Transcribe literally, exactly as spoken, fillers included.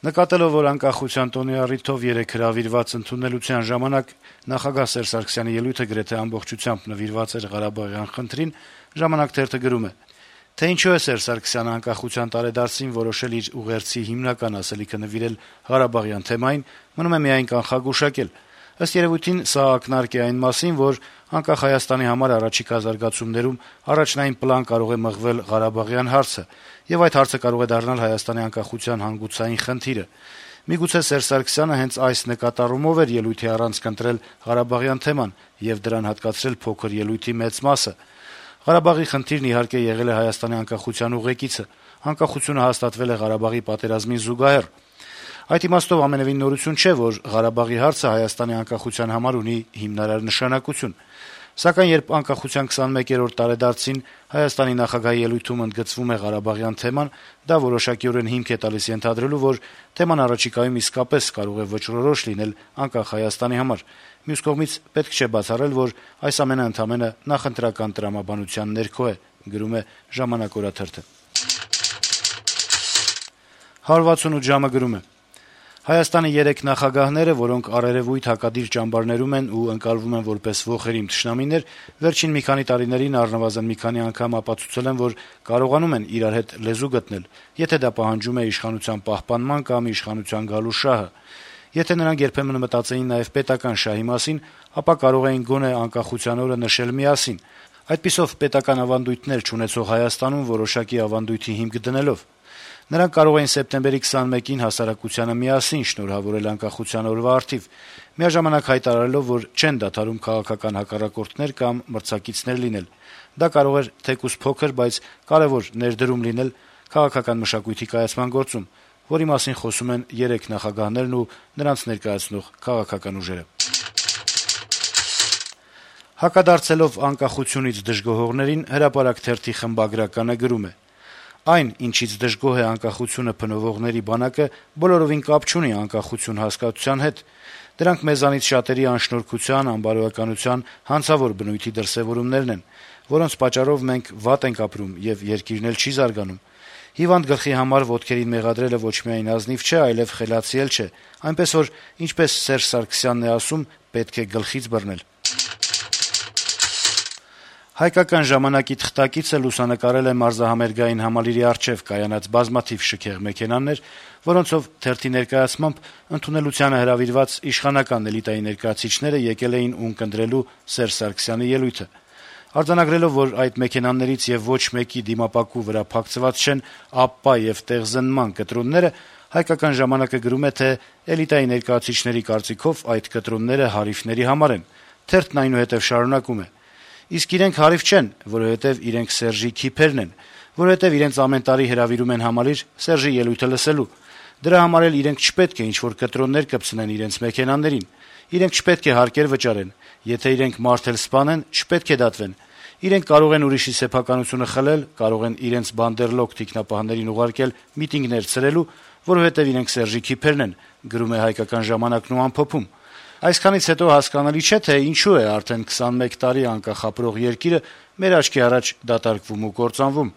Նկատելով, որ անկախության տոնի առիթով երեկ հրավիրված ընդունելության ժամանակ նախագահ Սերժ Սարգսյանի ելույթը գրեթե ամբողջությամբ նվիրված էր Ղարաբաղյան խնդրին, «Ժամանակ» թերթը գրում է. - «Թե ինչու է Սերժ Սարգսյանը անկախության տարեդարձին որոշել իր ուղերձի հիմնական ասելիքը նվիրել Ղարաբաղյան թեմային, մնում է միայն կանխագուշակել: Ըստ երևույթին, սա ակնարկ է այն մասին, որ անկախ Հայաստանի համար առաջիկա զարգացումներում առաջնային պլան կարող է մղվել Ղարաբաղյան հարցը, եւ այդ հարցը կարող է դառնալ Հայաստանի անկախության հանգուցային խնդիրը: Միգուցե Սերժ Սարգսյանը հենց այս նկատառումով էր ելույթի առանցք ընտրել Ղարաբաղյան թեման եւ դրան հատկացրել փոքր ելույթի մեծ մասը: Ղարաբաղի խնդիրն իհարկե եղել է Հայաստանի անկախության ուղեկիցը, անկախությունը հաստատվել է Ղարաբաղի պատերազմին զուգահեռ: Այդ իմաստով ամենեւին նորություն չէ, որ Ղարաբաղի հարցը Հայաստանի անկախության համար ունի հիմնարար նշանակություն: Սակայն երբ անկախության քսանմեկերորդ տարեդարձին Հայաստանի նախագահի ելույթում ընդգծվում է Ղարաբաղյան թեման, դա որոշակիորեն հիմք է տալիս ենթադրելու, որ թեման առաջիկայում իսկապես կարող է վճռորոշ լինել անկախ Հայաստանի համար: Մյուս կողմից, պետք չէ բացառել, որ այս ամենը ընդամենը նախընտրական տրամաբանության ներքո է»: «հարյուր վաթսունութ ժամ»-ը գրում է. - «Հայաստանի երեք նախագահները, որոնք առերեւույթ հակադիր ճամբարներում են ու ընկալվում են որպես ոխերիմ թշնամիներ, վերջին մի քանի տարիներին առնվազն մի քանի անգամ ապացուցել են, որ կարողանում են իրար հետ լեզու գտնել, եթե դա պահանջում է իշխանության պահպանման կամ իշխանության գալու շահը: Եթե նրանք երբեմն մտածեին նաեւ պետական շահի մասին, ապա կարող էին գոնե անկախության օրը նշել միասին, այդպիսով պետական ավանդույթներ չունեցող Հայաստանում որոշակի ավանդույթի հիմք դնելով: Նրանք կարող էին սեպտեմբերի քսանմեկին հասարակությանը միասին շնորհավորել անկախության օրվա առթիվ, միաժամանակ հայտարարելով, որ չեն դադարում քաղաքական հակառակորդներ կամ մրցակիցներ լինել: Դա կարող էր թեկուզ փոքր, բայց կարեւոր ներդրում լինել քաղաքական մշակույթի կայացման գործում, որի մասին խոսում են երեք նախագահներն ու նրանց ներկայացնող քաղաքական ուժերը»: Հակադարձելով անկախությունից դժգոհողներին, «Հրապարակ» թերթի խմբագրականը գրում է. - «Այն, ինչից դժգոհ է անկախությունը փնովողների բանակը, բոլորովին կապ չունի անկախություն հասկացության հետ: Դրանք մեզանից շատերի անշնորհքության, անբարոյականության, հանցավոր բնույթի դրսեւորումներն են, որոնց պատճառով մենք վատ ենք ապրում, եւ երկիրն էլ չի զարգանում: Հիվանդ գլխի համար ոտքերին մեղադրելը ոչ միայն ազնիվ չէ, այլեւ խելացի էլ չէ, այնպես որ, ինչպես Սերժ Սարգսյանն է ասում, պետք է գլխից բռնել»: «Հայկական ժամանակ»-ի թղթակիցը լուսանկարել է մարզահամերգային համալիրի առջեւ կայանած բազմաթիվ շքեղ մեքենաներ, որոնցով, թերթի ներկայացմամբ, ընդունելությանը հրավիրված իշխանական էլիտայի ներկայացուցիչները եկել էին ունկնդրելու Սերժ Սարգսյանի ելույթը: Արձանագրելով, որ այդ մեքենաներից եւ ոչ մեկի դիմապակու վրա փակցված չեն ապպա եւ տեղզնման կտրոնները, «Հայկական ժամանակ»-ը գրում է, թե էլիտայի ներկայացուցիչների կարծիքով այդ կտրոնները հարիվների համար են: Թերթն այնուհետեւ շարունակում է. - «Իսկ իրենք հարիվ չեն, որովհետեւ իրենք Սերժի քիփերն են, որովհետեւ իրենց ամեն տարի հրավիրում են համալիր Սերժի ելույթը լսելու: Դրա համար էլ իրենք չպետք է ինչ-որ կտրոններ կպցնեն իրենց մեքենաներին: Իրենք չպետք է հարկեր վճարեն: Եթե իրենք մարդ էլ սպանեն, չպետք է դատվեն: Իրենք կարող են ուրիշի սեփականությունը խլել, կարող են իրենց բանդերլոկ թիկնապահներին ուղարկել միտինգներ ցրելու, որովհետեւ իրենք Սերժի քիփերն են»: Այսքանից հետո հասկանալի չէ, թե ինչու է արդեն քսանմեկ տարի անկախ ապրող երկիրը մեր աչքի առաջ դատարկվում ու կործանվում: